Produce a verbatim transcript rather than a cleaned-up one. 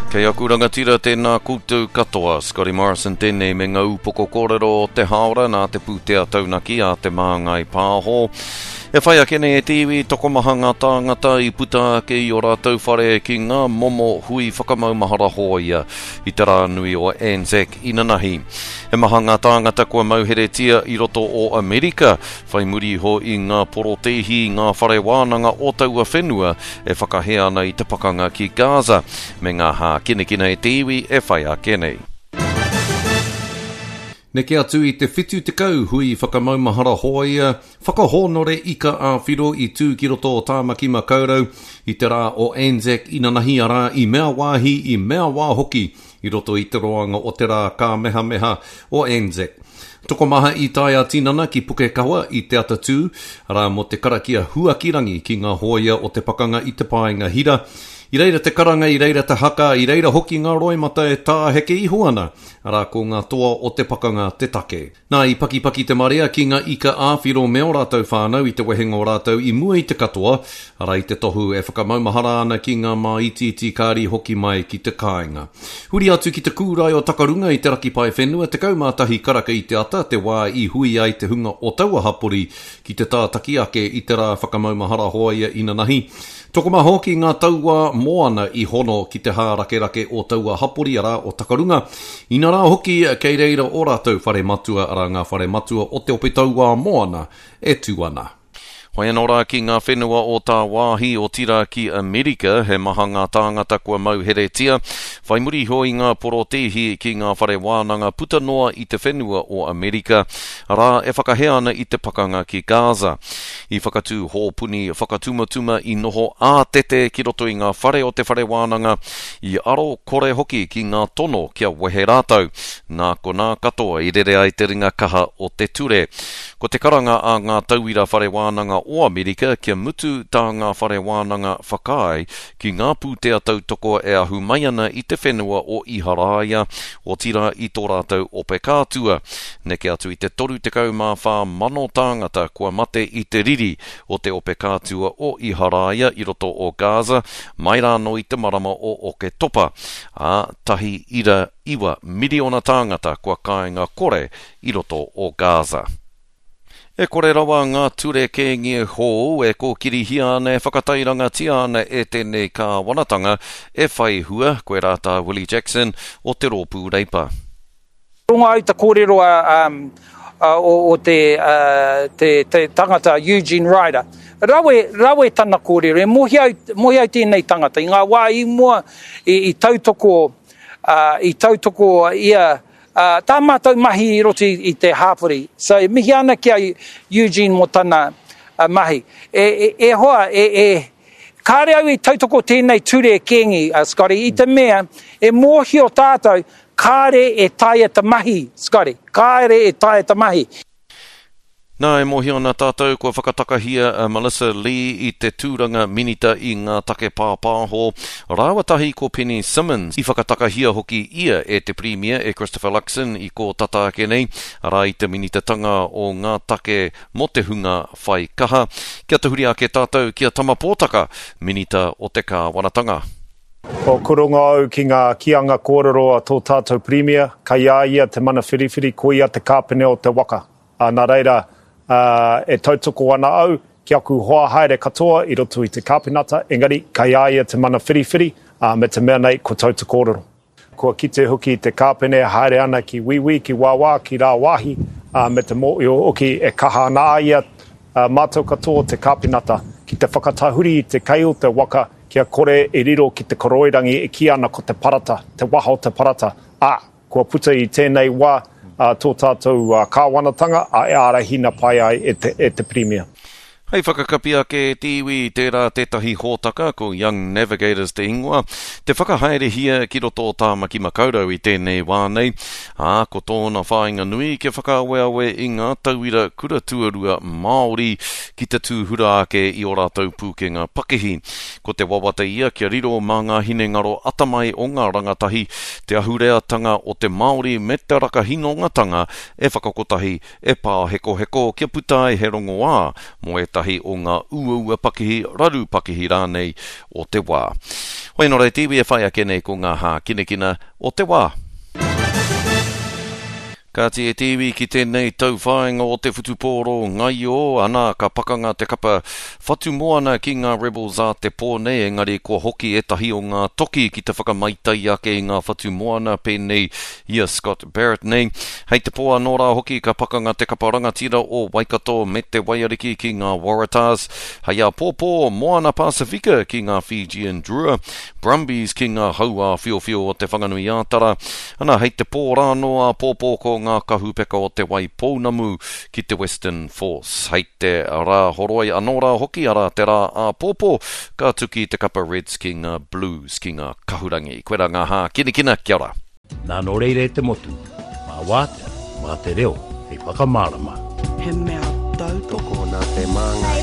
Kei aku rangatira tēnā koutou katoa, Scotty Morrison tēnei me ngā upoko kōrero o te hāora nā te pūtea taunaki a Te Māngai Pāho. E whai ake nei e te iwi tokomaha ngā tāngata i puta ake i o rātou whare ki ngā momo hui whakamaumahara hōia i te rā nui o Anzac inanahi. He maha ngā tāngata kua mauheretia i roto o Amerika, whai muri iho i ngā porotēhi i ngā whare wānanga o taua whenua e whakahē ana i te pakanga ki Gaza, me ngā hākinakina e te iwi e whai ake nei. Neke atu i te whitu tekau hui whakamaumahara hōia, whakahōnore ika ā-whiro i tū ki roto o Tāmaki Makaurau i te rā o Anzac inanahi arā i mea wāhi, i mea wā hoki i roto i te roanga o te rā kāmehameha o Anzac. Tokomaha i tae ā-tinana ki Pukekawa i te atatū, arā mō te karakia huakirangi ki ngā hōia o te pakanga i te paenga hira. I reira te karanga, i reira te haka, i reira hoki ngā roimata e tāheke iho ana, arā ko ngā toa o te pakanga te take. Nā, i pakipaki te marea ki ngā ika ā-whiro me ō rātou whānau i te wehenga o rātou i mua i te katoa, arā i te tohu e whakamaumahara ana ki ngā māitiiti kāri hoki mai ki te kāinga. Huri atu ki te kūrae o Takarunga i te raki paewhenua, tekau mā tahi karaka i te ata, te wā i hui ai te hunga o taua hapori ki te tātaki ake i te rā whakamaumahara hōia inanahi. Tokomaha hoki ngā tauā moana i hono ki te hārakerake o taua hapori arā o Takarunga. Inarā hoki kei reira o rātou whare matua arā ngā whare matua o te ope tauā moana e tū ana. Hoi anō rā ki ngā whenua o tāwāhi otirā ki Amerika, he maha ngā tāngata kua mauheretia, whai muri iho i ngā porotēhi ki ngā whare wānanga puta noa i te whenua o Amerika, arā e whakahē ana i te pakanga ki Gaza. I whakatū hōpuni whakatumatuma i noho ātete ki roto i ngā whare o te whare wānanga, i aro kore hoki ki ngā tono kia wehe rātou. Nā konā katoa i rere ai te ringa kaha o te ture. Ko te karanga a ngā tauira whare wānanga o Amerika kia mutu tā ngā whare wānanga whakaae ki ngā pūtea tautoko e ahu mai ana i te whenua o Iharaia, otirā i tō rātou ope kātua. Neke atu i te toru tekau mā whā mano tāngata kua mate i te riri o te ope kātua o Iharaia i roto o Gaza, mai rānō i te marama o Oketopa, ā, tahi ira iwa miriona tāngata kua kāinga kore i roto o Gaza. E kore rawa ngā ture kēngi hou e kōkirihia ana e whakatairangatia ana e tēnei kāwanatanga e whai hua, koe rā tā Willie Jackson o te Rōpū Reipa. Rongo au te kōrero a, um, a, o, o te, uh, te, te tangata Eugene Ryder. Rawe, rawe tana kōrero, e mohi au, mohi au tēnei tangata. I ngā wā i mua i, i tautoko, uh, i tautoko ia Uh, tā mātou mahi i roto i, i te hāpori. So, e mihi ana ki a Eugene mō tana uh, mahi. E, e, e hoa, e, e, kāre au i tautoko tēnei ture kēngi, uh, Scotty, i te mea, e mōhio tātou, kāre e taea te mahi, Scotty, kāre e taea te mahi. Nā, e mōhio ana tātou kua whakatakahia a Melissa Lee i te tūranga minita i ngā take pāpāho. Rāua tahi ko Penny Simmons. I whakatakahia hoki ia e te Premier e Christopher Luxon i kō tata ake nei, arā i te minitatanga o ngā take mō te hunga whai kaha. Kia tahuri ake tātou ki a Tama Pōtaka, minita o te kāwanatanga. Ko kuronga au ki ngā kīanga kōrero a tō tātou Premier, kei a ia te mana whiriwhiri, ko ia te kāpene o te waka. Ā, nā reira, ā, e tautoko ana au ki aku hoa haere katoa i roto i te kāpenata, engari kei a ia te mana whiriwhiri, ā, me te mea nei ko tau te kōrero. Kua kite hoki te kāpene e haere ana ki wīwī, ki wāwā, ki rāwāhi, ā, me te mōhio hoki e kaha ana a ia, ā, mātou katoa te kāpenata, ki te whakatahuri i te kei o te waka kia kore e riro ki te koroirangi e kī ana ko te parata, te waha o te parata, ā, kua puta i tēnei wā tō tātou kāwanatanga, ā, e ārahina pai ai e te, e te Pirimia. Hei whakakapi ake e te iwi, tērā tētahi hōtaka, ko Young Navigators te ingoa, te whakahaerehia ki roto o Tāmaki Makaurau i tēnei wā nei, ā, ko tōna whāinga nui kia whakaaweawe i ngā tauira kura tuarua Māori ki te tūhura ake i ō rātou pūkenga pakihi. Ko te wawata ia kia riro mā ngā hinengaro atamai o ngā rangatahi, te ahureatanga o te Māori me te rakahinongatanga e whakakotahi, e pāhekoheko kia puta ai he rongoā mō ētahi o ngā uaua pakihi, raru pakihi rānei o te wā. Hoi nō reira te iwi e whai ake nei ko ngā hākinakina o te wā. Kāti e te iwi ki tēnei tauwhāinga o te whutupōro ngaio, ana ka pakanga te kapa Whatumoana ki ngā Rebels a te pō nei, engari kua hoki ētahi o ngā toki ki te whakamaitai ake i ngā Whatumoana pēnei i a Scott Barrett nei. Hei te pō anō rā hoki ka pakanga te kapa rangatira o Waikato me te Waiariki ki ngā Waratahs. Hei āpōpō, Moana Pasifika ki ngā Fijian Drua, Brumbies ki ngā Hauāwhiowhio o Te Whanganui-ā-Tara. Ana, hei te pō rānō āpōpō ko ngā kahupeka o Te Waipounamu ki te Western Force. Hei te rā horoi anō rā hoki, arā te rā āpōpō, ka tuki te kapa Reds ki ngā Blues, ki ngā Kahurangi. Koirā ngā hākinakina, kia ora. Nā nō reira e te motu, mā wātea, mā te reo hei whakamārama. He mea tautoko. Tokona te māngai.